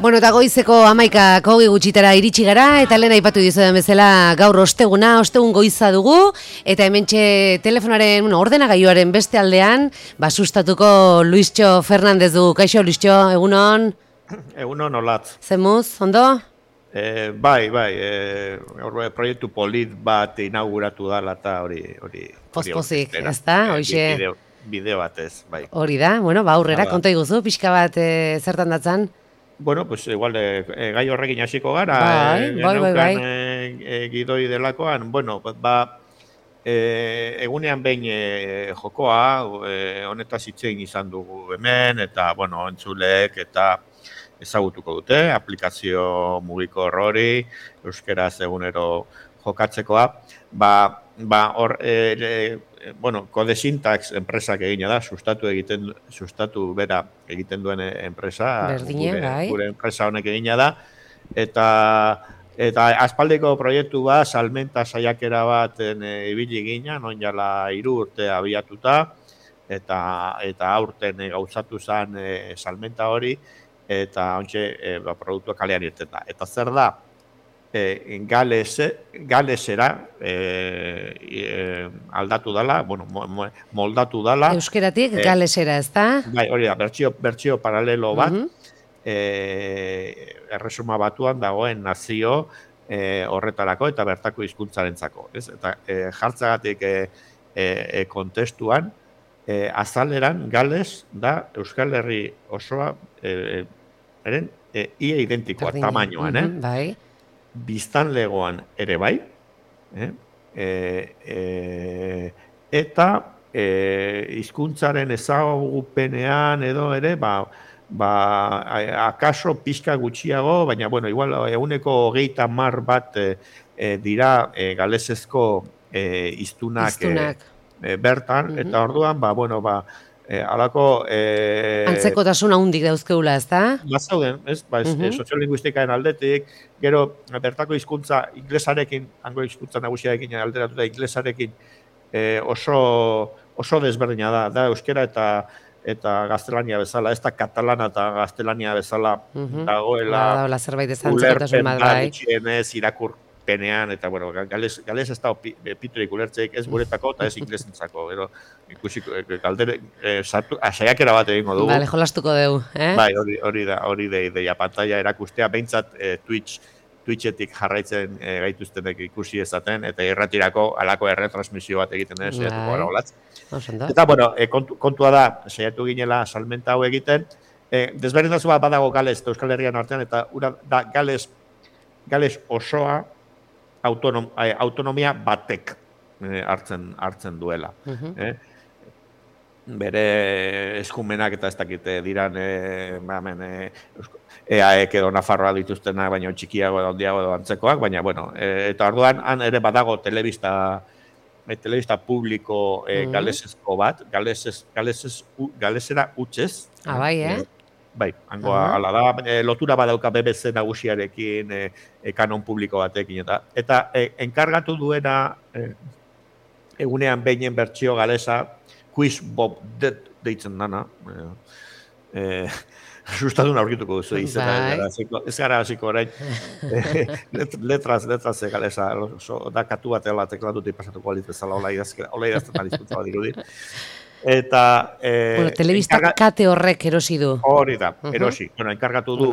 Bueno, eta goizeko 11:20 gutxitara iritsi gara, eta lehen aipatu dizudan bezala gaur ostegun goiza dugu, eta hementxe telefonaren, ordenagailuaren beste aldean, sustatuko Luistxo Fernandez dugu. Kaixo, Luistxo, egunon? Egunon, olatz. Zemuz, ondo? Bai, proiektu polit bat inauguratu dala eta hori... Pospozik, ez da? Bideo batez, bai. Hori da, bueno, aurrera, konta iguzu, pixka bat zertan datzan? Bueno, pues igual gai horrekin hasiko gara, bai. Gidoi delakoan, bueno, egunean behin jokoa, honetaz hitzein izan dugu hemen, eta, bueno, entzuleek eta ezagutuko dute, aplikazio mugikor hori, euskeraz egunero jokatzekoa, Codesintax enpresak egina da, sustatu bera egiten duen enpresa, gure enpresa honek egina da, eta aspaldiko proiektu bat, salmenta saiakera baten ibili gina, non jala 3 urte abiatuta, eta aurten gauzatu zen salmenta hori, eta ontxe produktua kalean irten da. Eta zer da? Galesera aldatu dala, moldatu dala. Euskeratik galesera, ez da? Bai, hori da, bertsio paralelo bat, erresuma batuan dagoen nazio horretarako eta bertako hizkuntzarentzako. Eta jartzagatik kontestuan, azaleran Gales da Euskal Herri osoa ia identikoa, tamainoan, bai. Biztanlegoan ere bai, eta hizkuntzaren ezagupenean edo ere, akaso pixka gutxiago, baina, igual, 130 bat dira galesezko hiztunak bertan, eta orduan, alako... Antzekotasun handik dauzkeula, ez da? Bazauden, ez? Soziolinguistikaen aldetik, gero bertako hizkuntza inglesarekin, hango hizkuntza nagusiarekin alderatuta inglesarekin oso desberdina da euskera eta gaztelania bezala, ez da katalana eta gaztelania bezala dagoela ulerpen da gutxienez irakurpenean, eta gales ez da piturik ulertzeik ez guretako eta ez inglesentzako, ikusiko saiakera bat egingo dugu. Bale, jolastuko dugu, Bai, hori da ideia, pantalla erakustea, behintzat Twitchetik jarraitzen gaituztenek ikusi ezaten, eta irratirako alako erretransmisio bat egiten saiatuko gara olatz. Eta, kontua da, saiatu ginela salmenta hau egiten, desberdintasun bat badago Gales eta Euskal Herrian artean, eta da Gales osoa autonomia batek hartzen duela. Bere eskumenak eta ez dakite diran EAEk edo Nafarroa dituztenak, baina txikiago edo handiago edo antzekoak, baina, eta orduan han ere badago telebista publiko galesezko bat, galesera hutsez. Bai, Bai, hangoa ala da, lotura badauka BBC nagusiarekin, kanon publiko batekin, eta enkargatu duena egunean behinen bertsio galesa, Quiz Bob deitzen dana, asustadun aurkituko duzu izena, ez gara hasiko orain, letraz galesa, da katu bat ela teklatute pasatuko alitzezala, hola idazten alizkuntza bat dirudi. Eta... telebista kate horrek erosi du. Hori da, erosi. Enkargatu du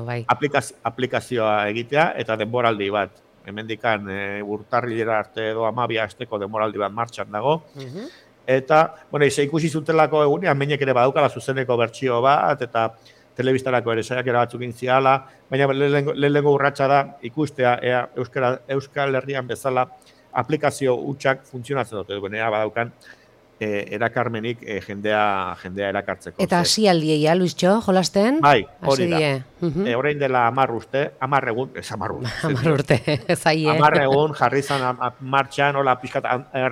bai. aplikazioa egitea eta denboraldi bat. Hemendikan urtarrilera arte edo 12 asteko denboraldi bat martxan dago. Eta, ikusi zutelako egunean, menek ere badaukala zuzeneko bertsio bat, eta telebistarako ere saiakera batzuk intziala, baina lehenengo urratsa da ikustea Euskal Herrian bezala aplikazio hutsak funtzionatzen dute, badaukan erakarmenik jendea erakartzeko. Eta hasialdia, Luistxo, jolasten? Bai, hori da. Orain dela 10 egun, ez 10 urte, zaie. 10 egun jarri zan martxan, hola pixkat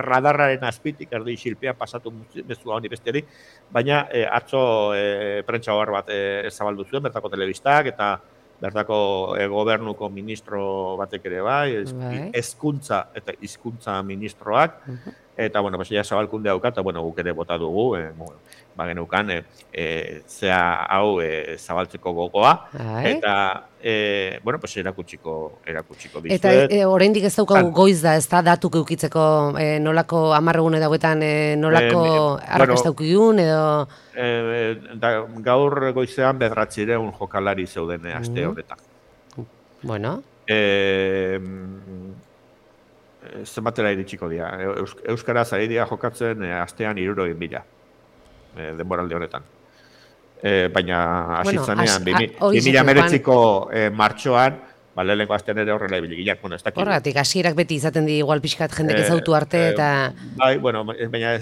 radarraren azpitik, erdi xilpea pasatu bezua honi besteari, baina atzo prentsa hor bat zabaldu zuen, bertako telebistak, eta bertako gobernuko ministro batek ere bai, hezkuntza eta hizkuntza ministroak, eta, bueno, pues, ja zabalkunde dauka, eta, bueno, guk ere bota dugu, ba, genukan, zea hau zabaltzeko gogoa, eta, bueno, pues, erakutsiko dizuet. Eta oraindik ez daukagu goiz da, ez da, datuk eukitzeko nolako 10 egune dauetan, nolako arrakasta eukigun, edo... Gaur goizean 900 jokalari zeuden aste horretan. Bueno. Zenbatera iritsiko dira. Euskaraz ari dira jokatzen astean 60.000 denboraldi honetan. Baina hasitzanean 2019ko martxoan, lehenengo astean ere horrela ibiligiak, bueno, ez dakit. Horregatik, hasierak beti izaten di igual pixkat jendek ezautu arte eta... Bai, bueno, baina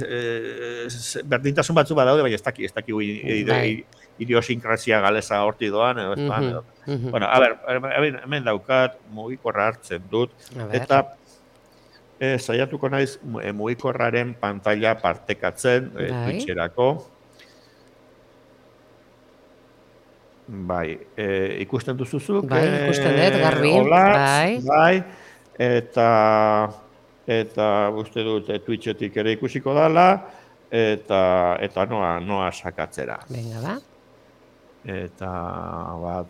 berdintasun batzu badaude, baina ez dakit idiosinkrasia galeza horti doan, edo ez doan, edo. Bueno, a ber, hemen daukat, mugikorra hartzen dut, eta saiatuko naiz mugikorraren pantalla partekatzen Twitcherako. Bai, ikusten duzuzuk. Bai, ikusten dut, garbi. Bai, eta uste dut Twitchetik ere ikusiko dala, eta noa sakatzera. Venga, ba. Eta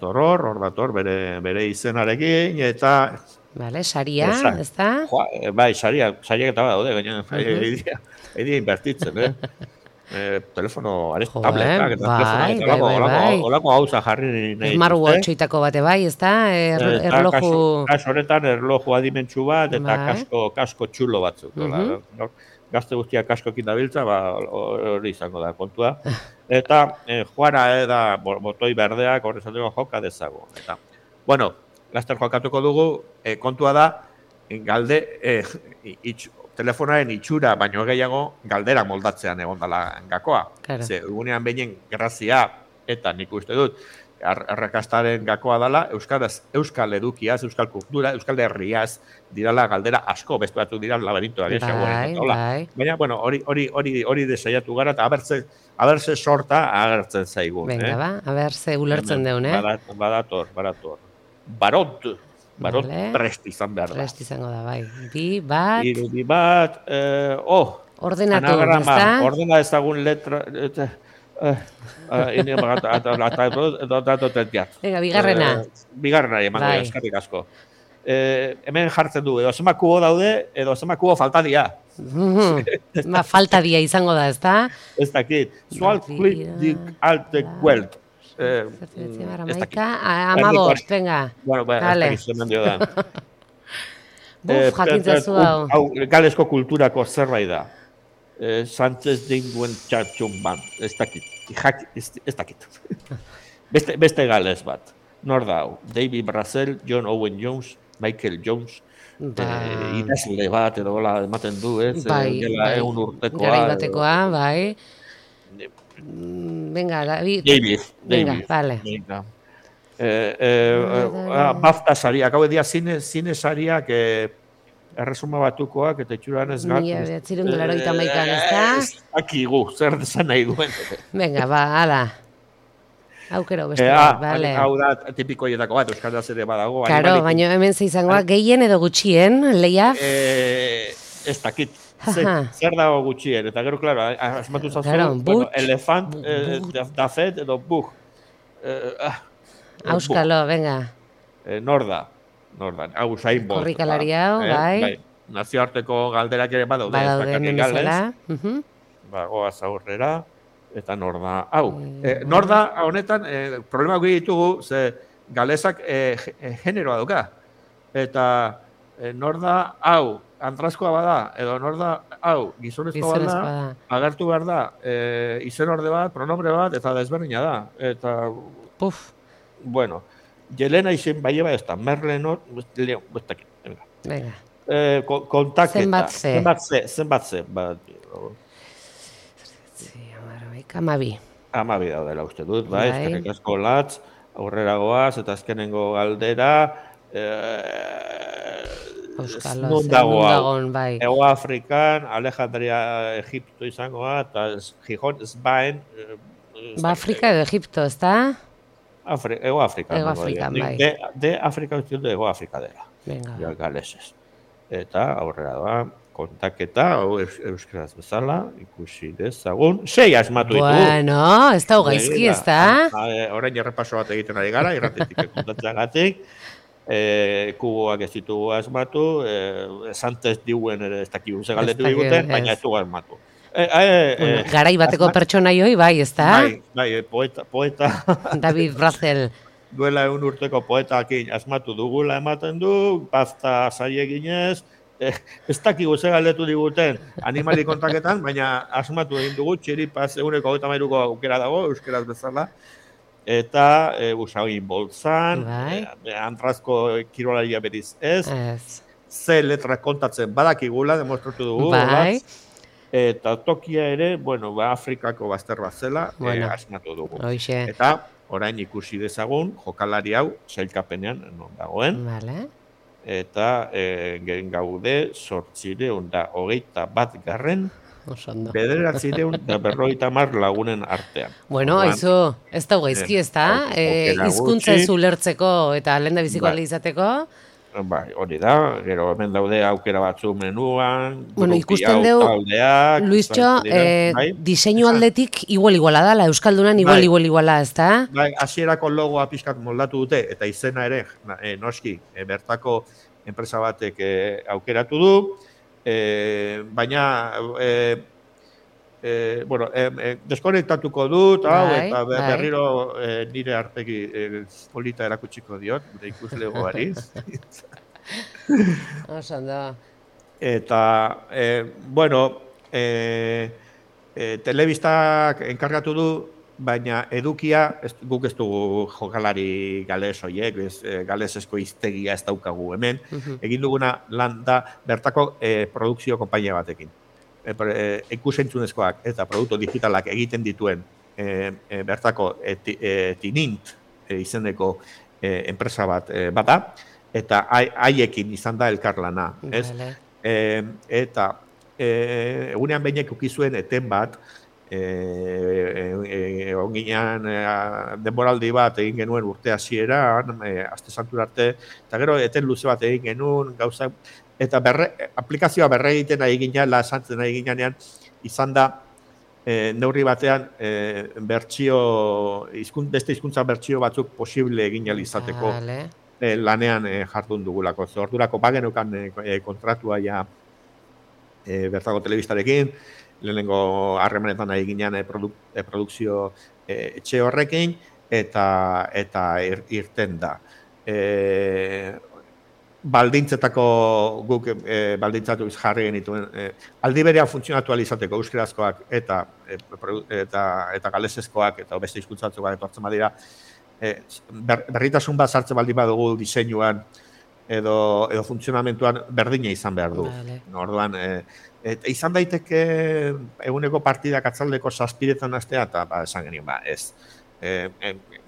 hor dator bere izenarekin, eta... Vale, saria, ez da? Bai, sariak eta daude, gaina, edia inbertitzen, telefono, tabletak, eta olako gauza jarri nahi. Smartwatch-oitako bate bai, ez da? Erloju... Kaso horretan, erloju adimentsu bat, eta kasko txulo batzuk. Gazte guztiak kaskokin dabiltza, hori izango da kontua. Eta joara da botoi berdeak horrezateko joka dezago. Eta, bueno, laster jokatuko dugu, kontua da, galde, telefonaren itxura, baino gehiago, galdera moldatzean egon dela gakoa. Ze, egunean behinen grazia, eta nik uste dut, arrakastaren gakoa dela, euskal edukiaz, euskal kultura, euskal herriaz, dirala galdera asko, beste batzuk dira laberintoa. Baina, bueno, hori desaiatu gara, eta abertze sorta agertzen zaigun. Venga, ba, abertze ulertzen deun, Badator. Barot prest izan behar da. Prest izango da, bai. Bi bat... Ordenatu, ez da? Ordena ezagun letra... Venga, bigarrena. Bigarrena, emango eskarrik asko. Hemen jartzen du, edo zema kubo daude, edo zema kubo falta dia. Falta dia izango da, ez da? Ez dakit. Zual klik dik alte guelt. Amabost, venga. Bueno, ez dakit zemen dio da. Buf, jakintzazu hau. Galesko kulturako zerbait da. Sánchez dinguen txatxun ban. Ez dakit. Beste gales bat. Nor da hau. David Brazel, John Owen Jones, Michael Jones, idazle bat, edo gola ematen du, ez? Bai, egun urtekoa. Garai batekoa, bai. Venga, David. Venga, vale. BAFTA sariak, hau edia zine sariak erresuma batukoak, eta itxuran ez gat. 1981, ez da? Akigu, zer desan nahi duen. Venga, ba, ala. Aukero beste, vale. Hau da tipikoietako bat, euskaraz ere badago. Karo, baina hemen zeizangoa, gehien edo gutxien, lehiaf? Ez dakit. Zer dago gutxien, eta gero, klaro, asmatu zazu, elefant, dafet edo bug. Auskalo, venga. Norda, hau zain bost. Korrikalari hau, bai. Nazioarteko galderak ere badaude. Badaude, nemezela. Goaz aurrera, eta norda. Hau, norda honetan, problema gui ditugu, ze galezak generoa duka. Eta norda hau, antrazkoa bada, edo norda hau, gizonezkoa bada, agertu behar da, izen orde bat, pronombre bat, eta desberdina da. Eta, bueno, Jelena izen bai eba ez da, Merlenor, venga. Kontaketa. Zenbat ze. Amabi. Amabi daudela uste dut, bai, ezkerrik asko latz, aurrera goaz, eta azkenengo galdera, Nundagon, bai. Ego Afrikan, Alejandria, Egipto izangoa, eta Gijón, Zbaen. Afrika edo Egipto, ez da? Ego Afrika. Ego Afrikan, bai. De Afrika uste dut, Ego Afrika dela. Venga. Galesez. Eta aurrera doa, kontaketa, hau euskaraz bezala, ikusi dezagun, 6 asmatu ditugu. Bueno, ez da gaizki, ez da? Orain errepaso bat egiten ari gara, irratetik kontatzeagatik, kuboak ez ditugu asmatu, esantez diuen ere ez dakigu ze galdetu diguten, baina ez dugu asmatu. Garai bateko pertsonaioi, bai, ez da? Bai, poeta. David Brazel. Duela 1 urteko poetakin asmatu dugula ematen du, bazta zaieginez, ez dakigu ze galdetu diguten animali kontaketan, baina asmatu egin dugu, txiripaz 123ko aukera dago, euskeraz bezala, eta usagin boltzan, antrazko kirolaria beriz ez, ze letra kontatzen badakigula, demostratu dugu, eta tokia ere, bueno, Afrikako bazter bat zela, asmatu dugu. Eta orain ikusi dezagun, jokalari hau, sailkapenean non dagoen, eta gaude 821 950 lagunen artean. Bueno, aizu, ez da gaizki, ez da? Hizkuntza ez ulertzeko eta lehendabiziko alde izateko. Bai, hori da, gero hemen daude aukera batzu menuan, ikusten dugu, Luistxo, diseinu aldetik iguala dala, Euskaldunan iguala, ez da? Bai, hasierako logoa pixkat moldatu dute, eta izena ere, noski, bertako enpresa batek aukeratu du, baina, deskonektatuko dut, eta berriro nire arpegi polita erakutsiko diot, gure ikuslegoari. Eta, telebistak enkargatu du, baina edukia, guk ez dugu jokalari gales horiek, galesesko hiztegia ez daukagu hemen, egin duguna lan da bertako produkzio konpainia batekin. Ikusentzunezkoak eta produktu digitalak egiten dituen bertako Tinint izeneko enpresa bat bada, eta haiekin izan da elkarlana. Eta egunean behinek ukizuen eten bat, onginean denboraldi bat egin genuen urte hasieran, aste santura arte, eta gero eten luze bat egin genuen, gauzak, eta aplikazioa berregiten ari ginean, esantzen ari ginean, izan da, neurri batean, beste hizkuntza bertsio batzuk posible egin izateko lanean jardun dugulako. Ordurako bagenukan kontratua ja bertako telebistarekin, lehenengo harremanetan ari ginean produkzio etxe horrekin, eta irten da. Baldintzetako guk baldintzatu jarri genituen aldi berean funtzionatu izateko euskerazkoak eta galesezkoak eta beste hizkuntzatzuak etortzen badira berritasun bat sartzen baldin badugu diseinuan edo funtzionamentuan berdina izan behar du. Orduan izan daiteke eguneko partidak atzaldeko 7etan hastea eta esan genien ez.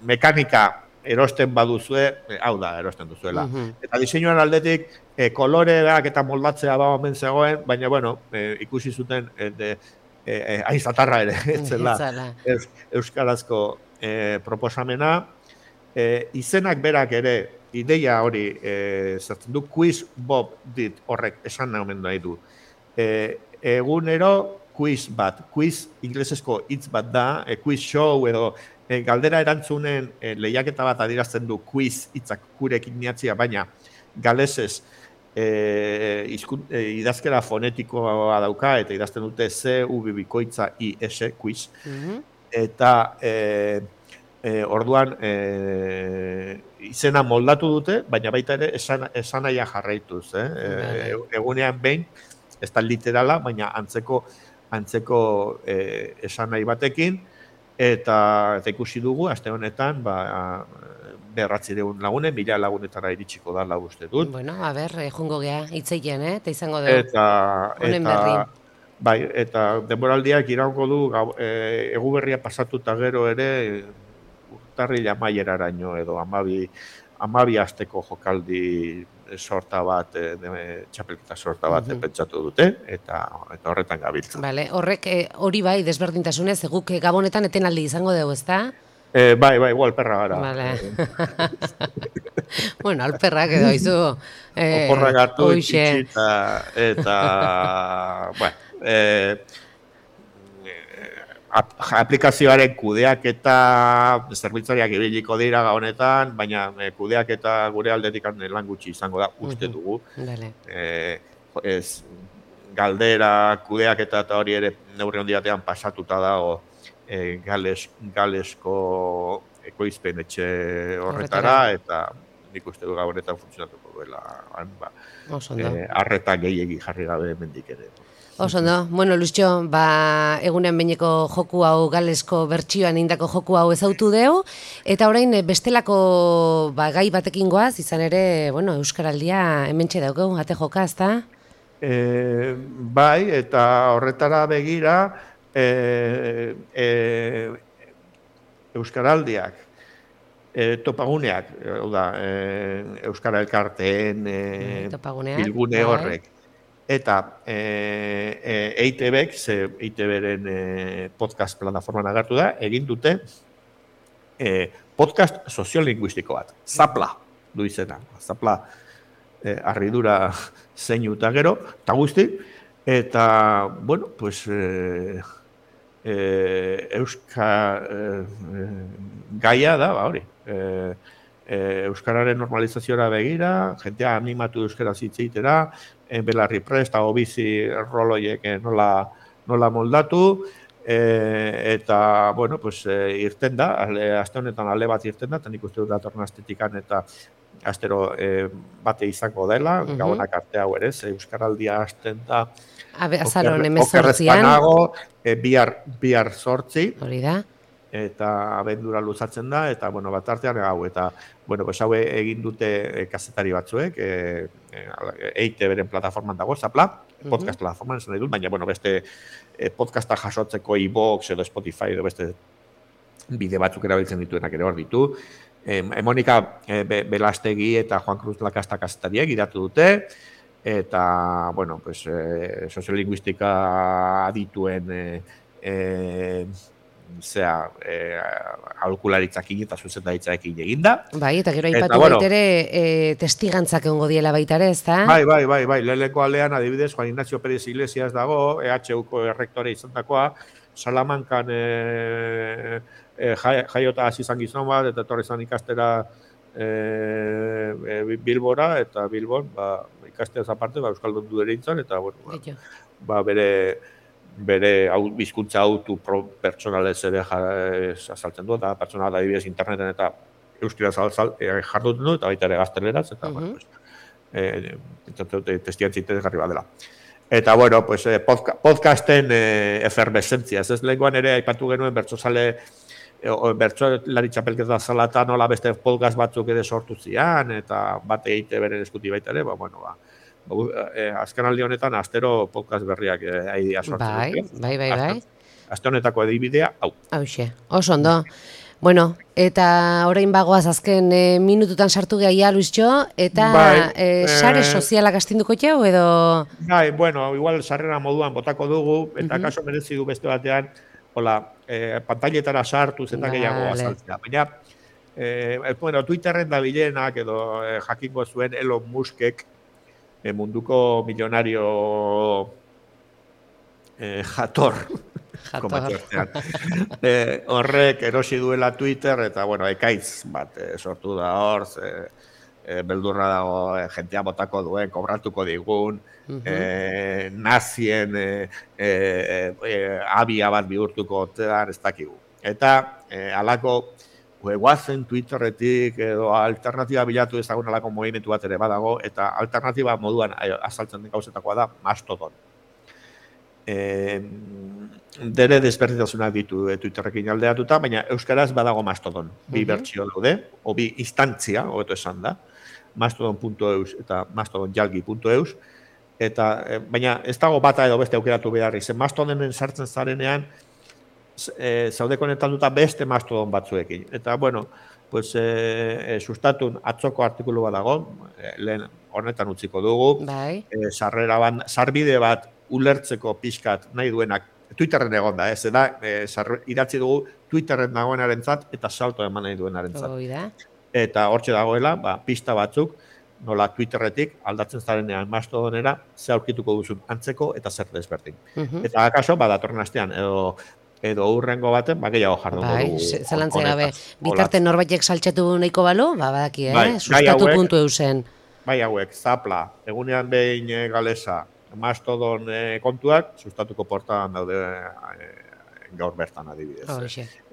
Mekanika erosten baduzue, hau da, erosten duzuela. Eta diseinuan aldetik, koloreak eta moldatzea omen zegoen, baina, bueno, ikusi zuten aizatarra ere, etzela, euskarazko proposamena. Izenak berak ere, ideia hori zertzen du, quiz bob dit horrek esan nahi nahi du. Egunero, quiz bat, quiz inglesezko hitz bat da, quiz show edo, galdera erantzunen lehiaketa bat adirazten du quiz hitzak gurekin niatzia, baina galesez idazkera fonetikoa dauka eta idazten dute C-U bikoitza I-S quiz. Eta orduan izena moldatu dute, baina baita ere esanahia jarraituz. Egunean behin, ez da literala, baina antzeko esanahi batekin, eta ikusi dugu, aste honetan, 900 lagunen, 1000 lagunetara iritsiko da uste dut. Bueno, jungo gea, hitzeien, eta izango dugu. Honen berri. Bai, eta denboraldiak iraungo du, eguberria pasatuta gero ere, urtarrila amaieraraino edo 12 asteko jokaldi sorta bat, txapelketa sorta bat pentsatu dute, eta horretan gabiltza. Horrek hori bai, desberdintasunez, guk Gabonetan etenaldi izango dugu, ezta? Bai, igual perra gara. Bueno, alperrak edo izu. Oporrak hartu Hoxe. itxi eta bueno, aplikazioaren kudeak eta zerbitzariak ibiliko dira honetan, baina kudeak eta gure aldetik lan gutxi izango da, uste dugu. Dale. Ez, galdera, kudeak eta hori ere neurri handiatean pasatuta dago Galesko ekoizpen etxe horretara, eta nik uste du honetan funtzionatuko duela arreta gehiegi jarri gabe mendik ere. Oso ondo, bueno, Luisio, egunean behineko joku hau, Galesko bertsioan indako joku hau ezautu deu, eta orain bestelako gai batekin goaz, izan ere, bueno, Euskaraldia hementxe daukegu, ate joka, ezta? Bai, eta horretara begira, Euskaraldiak, topaguneak, Euskara Elkarteen bilgune horrek, eta EITB-ek, EITB-ren podcast plataforman agertu da, egin dute podcast soziolinguistiko bat, Zapla du izena, Zapla harridura zeinu eta gero, eta guzti, eta, bueno, pues, gaia da, hori, Euskararen normalizaziora begira, jentea animatu euskara zitzeitera, belarri prest, hau bizi roloiek nola moldatu, eta, bueno, pues, irten da, aste honetan alde bat irten da, eta nik uste dut datorren astetikan eta astero bate izango dela, gabonak arte hau ere, Euskaraldia hasten da, azaron 18an, bihar 8, hori da, eta abendura luzatzen da, eta, bueno, bat artean hau, eta, bueno, pues hau egin dute kazetari batzuek, EITB-ren plataforman dago, Zapla, podcast plataforman esan nahi dut, baina, bueno, beste podcasta jasotzeko iVoox edo Spotify edo beste bide batzuk erabiltzen dituenak ere hor ditu. Monika Belastegi eta Juan Cruz Lakasta kazetariek idatu dute, eta, bueno, pues, soziolinguistika adituen aholkularitzakin eta zuzendaritzaekin eginda. Bai, eta gero aipatu baitere testigantzak egongo diela baita ere, ezta? Bai, leheneko aldean adibidez Juan Ignacio Pérez Iglesias dago, EHUko errektore izandakoa, Salamankan jaiota hasi izan gizon bat, eta etorri izan ikastera Bilbora, eta Bilbon, ikasteaz aparte, euskaldun du ere intzan, eta, bueno, bere bizkuntza autu pertsonalez ere azaltzen du, eta pertsonal adibidez interneten eta euskaraz jarduten du, eta baita ere gazteleraz, eta, bueno, testiantzi interesgarri bat dela. Eta, bueno, pues, podcasten efervescentzia, ez lehenkoan ere aipatu genuen bertsolari txapelketa zalata nola beste podcast batzuk ere sortu zian, eta bat egite beren eskuti baita ere, bueno, azken aldi honetan astero podcast berriak aidea sortzen. Bai. Aste honetako edibidea, hau. Hauxe, oso ondo. Bueno, eta orain bagoaz azken minututan sartu gehiagia, Luisio, eta sare sozialak astinduko jau, edo? Bai, bueno, igual sarrera moduan botako dugu, eta kaso merezi du beste batean, hola, pantailetara sartu eta gehiago azaltzea. Baina, bueno, Twitterren da bilenak, edo jakingo zuen Elon Muskek, munduko milionario jator. Horrek erosi duela Twitter, eta, bueno, ekaitz bat sortu da hor, beldurra dago, jentea botako duen, kobratuko digun, nazien abia bat bihurtuko otean, ez dakigu. Eta, alako, guazen Twitterretik edo alternatiba bilatu ezagun alako movimentu bat ere badago, eta alternatiba moduan azaltzen den gauzetakoa da Mastodon. Dere desberdintasunak ditu Twitterrekin aldeatuta, baina euskaraz badago Mastodon. Bi bertsio daude, o bi instantzia, hobeto esan da, mastodon.eus eta mastodonjalgi.eus, eta baina ez dago bata edo beste aukeratu behar izen. Mastodonen sartzen zarenean, zaude konektatuta beste Mastodon batzuekin. Eta, bueno, pues, sustatun atzoko artikulu bat dago, lehen honetan utziko dugu, sarbide bat ulertzeko pixkat nahi duenak, Twitterren egon da, idatzi dugu Twitterren dagoenarentzat eta salto eman nahi duenarentzat. eta hortxe dagoela, pista batzuk, nola Twitterretik aldatzen zarenean Mastodonera, ze aurkituko duzun antzeko eta zer desberdin. Eta akaso, datorren astean, edo urrengo baten, gehiago jardungo dugu. Zelantze gabe, bitarten norbaitek saltxatu nahiko balu, badaki, sustatu.eusen. Bai hauek, Zapla, egunean behin galesa, Mastodon kontuak, sustatuko portadan daude gaur bertan adibidez.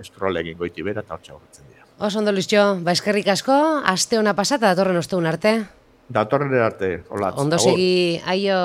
Scroll egin goiti bera eta hortxe horretzen dira. Oso ondo, Luizio, eskerrik asko, aste ona pasata datorren ostegun arte. Datorren arte, olatz. Ondo segi, aio.